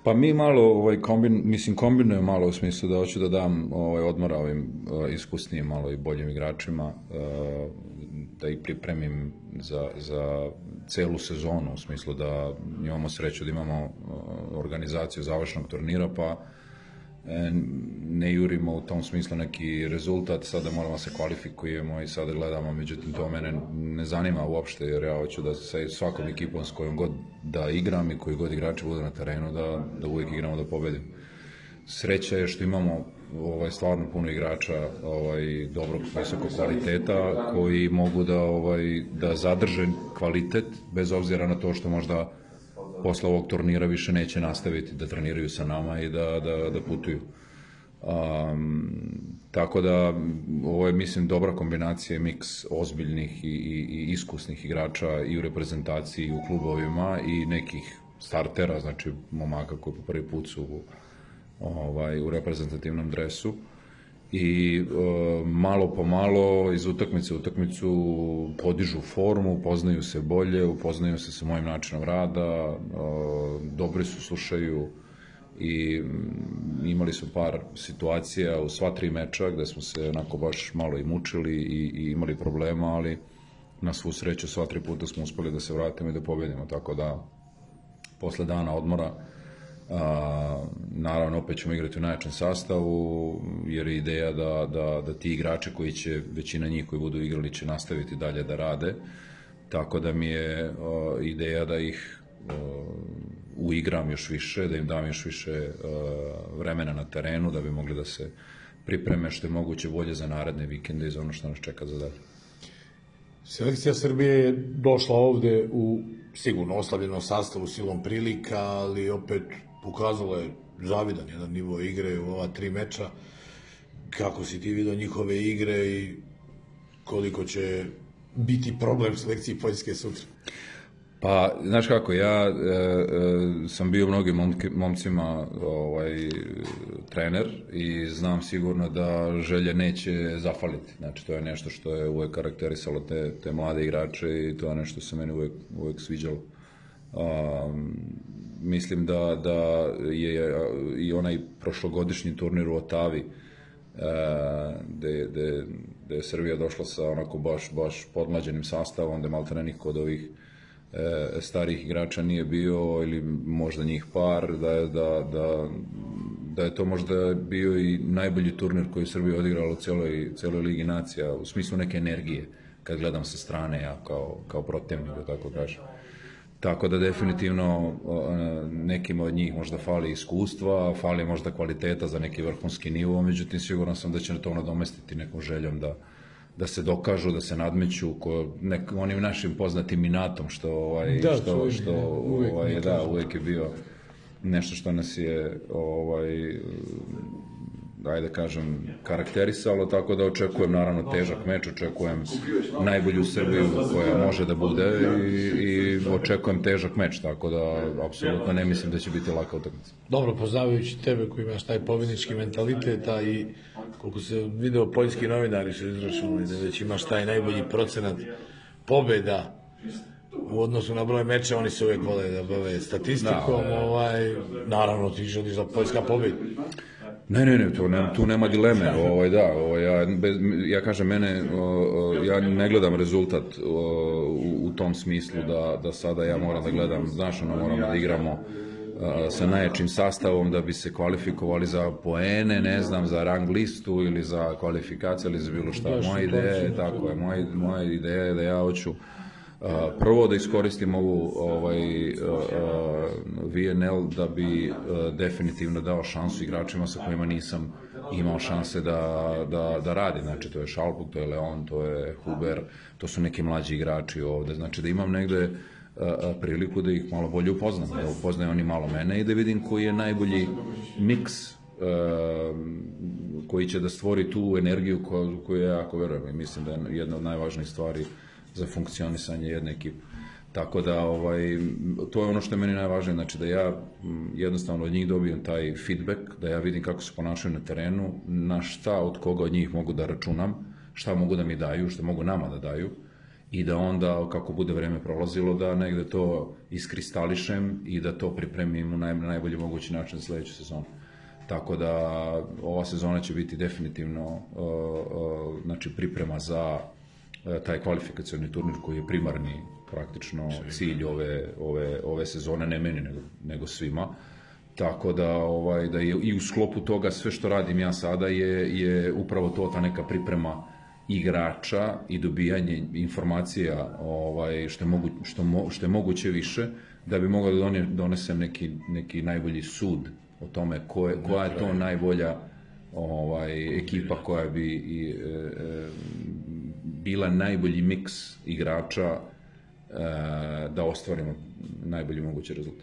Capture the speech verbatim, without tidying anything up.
Pa mi malo, ovaj, kombin, mislim, kombinujem malo u smislu da hoću da dam ovaj, odmora ovim uh, iskusnijim, malo i boljim igračima, uh, da ih pripremim za, za celu sezonu, u smislu da imamo sreću da imamo uh, organizaciju završnog turnira, pa e, ne jurimo u tom smislu neki rezultat, sada moramo da se kvalifikujemo i sada gledamo, međutim to mene ne zanima uopšte, jer ja hoću da sa svakom ekipom s kojom god da igram i koji god igrači budu na terenu, da, da uvijek igramo da pobedim. Sreća je što imamo ovaj, stvarno puno igrača ovaj, dobrog, visokog kvaliteta, koji mogu da, ovaj, da zadrže kvalitet, bez obzira na to što možda posle ovog turnira više neće nastaviti da treniraju sa nama i da, da, da putuju. Um, tako da ovo je, mislim, dobra kombinacija, miks ozbiljnih i, i, i iskusnih igrača i u reprezentaciji i u klubovima i nekih startera, znači momaka koji po prvi put su ovaj, u reprezentativnom dresu i e, malo po malo iz utakmice u utakmicu podižu formu, upoznaju se bolje, upoznaju se sa mojim načinom rada, e, dobri su, slušaju i imali su par situacija u sva tri meča gde smo se onako baš malo i mučili i, i imali problema, ali na svu sreću sva tri puta smo uspeli da se vratimo i da pobedimo, tako da posle dana odmora a, naravno opet ćemo igrati u najjačem sastavu, jer je ideja da, da, da ti igrači koji će, većina njih koji budu igrali će nastaviti dalje da rade, tako da mi je a, ideja da ih a, uigram još više, da im dam još više a, vremena na terenu, da bi mogli da se pripreme što je moguće bolje za naredne vikende i za ono što nas čeka za dalje. Selekcija Srbije je došla ovde u sigurno oslabljenom sastavu silom prilika, ali opet pokazala je zavidan jedan nivo igre u ova tri meča. Kako si ti vidio njihove igre i koliko će biti problem selekciji Poljske sutra? Pa, znaš kako, ja e, e, sam bio mnogim momke, momcima ovaj, trener i znam sigurno da želje neće zafaliti. Znači, to je nešto što je uvek karakterisalo te, te mlade igrače i to je nešto što se meni uvek, uvek sviđalo. Um, mislim da, da je i onaj prošlogodišnji turnir u Otavi, gde, gde, gde je Srbija došla sa onako baš, baš podmlađenim sastavom, gde maltene niko od ovih e, starih igrača nije bio ili možda njih par, da je, da, da, da je to možda bio i najbolji turnir koji je Srbija odigrala u celoj, celoj Ligi nacija, u smislu neke energije, kad gledam sa strane ja kao, kao protivnik, da tako kažem. Tako da definitivno nekim od njih možda fali iskustva, fali možda kvaliteta za neki vrhunski nivo, međutim siguran sam da će to nadomestiti nekom željom da, da se dokažu, da se nadmeću ko, nek, onim našim poznatim inatom što, ovaj, da, što, uvijek, što uvijek, ovaj, da, uvijek je bio nešto što nas je ovaj, ajde kažem, karakterisalo, tako da očekujem naravno težak meč, očekujem najbolju Srbiju koja može da bude i, i očekujem težak meč, tako da apsolutno ne mislim da će biti laka utakmica. Dobro, poznavajući tebe koji imaš taj pobjednički mentalitet, a i koliko se video poljski novinari su izračunali da već imaš taj najbolji procenat pobjeda u odnosu na broj meča, oni se uvijek vole da bave statistikom, da, ovaj, naravno ti želiš da Poljska pobjedi. Ne, ne, ne, tu nema, tu nema dileme, ovaj, da, ovaj, ja, bez, ja kažem, mene, o, ja ne gledam rezultat o, u, u tom smislu da, da sada ja moram da gledam, znaš, ono, moramo da igramo a, sa najjačim sastavom da bi se kvalifikovali za poene, ne znam, za rang listu ili za kvalifikacije ili za bilo šta. Moja ideja je, tako je, moja, moja ideja je da ja hoću Uh, prvo da iskoristim ovu ovaj, uh, uh, V N L da bi uh, definitivno dao šansu igračima sa kojima nisam imao šanse da, da, da radi. Znači to je Šalpuk, to je Leon, to je Huber, to su neki mlađi igrači ovde. Znači da imam negde uh, priliku da ih malo bolje upoznam, da upoznaju oni malo mene i da vidim koji je najbolji miks uh, koji će da stvori tu energiju koju, koju ja jako verujem i mislim da je jedna od najvažnijih stvari za funkcionisanje jedne ekipe. Tako da, ovaj, to je ono što je meni najvažnije, znači da ja jednostavno od njih dobijem taj feedback, da ja vidim kako se ponašaju na terenu, na šta od koga od njih mogu da računam, šta mogu da mi daju, šta mogu nama da daju i da onda, kako bude vreme prolazilo, da negde to iskristališem i da to pripremim u naj, najbolji mogući način za sledeću sezonu. Tako da ova sezona će biti definitivno uh, uh, znači priprema za uh, taj kvalifikacioni turnir koji je primarni praktično cilj ove, ove, ove sezone, ne meni nego, nego svima. Tako da, ovaj, da je i u sklopu toga sve što radim ja sada je, je upravo to, ta neka priprema igrača i dobijanje informacija ovaj, što, je mogu, što, mo, što je moguće više, da bi mogao da donesem neki, neki najbolji sud o tome ko je, koja je to najbolja ovaj, ekipa koja bi i, e, bila najbolji miks igrača e, da ostvarimo najbolji mogući rezultat.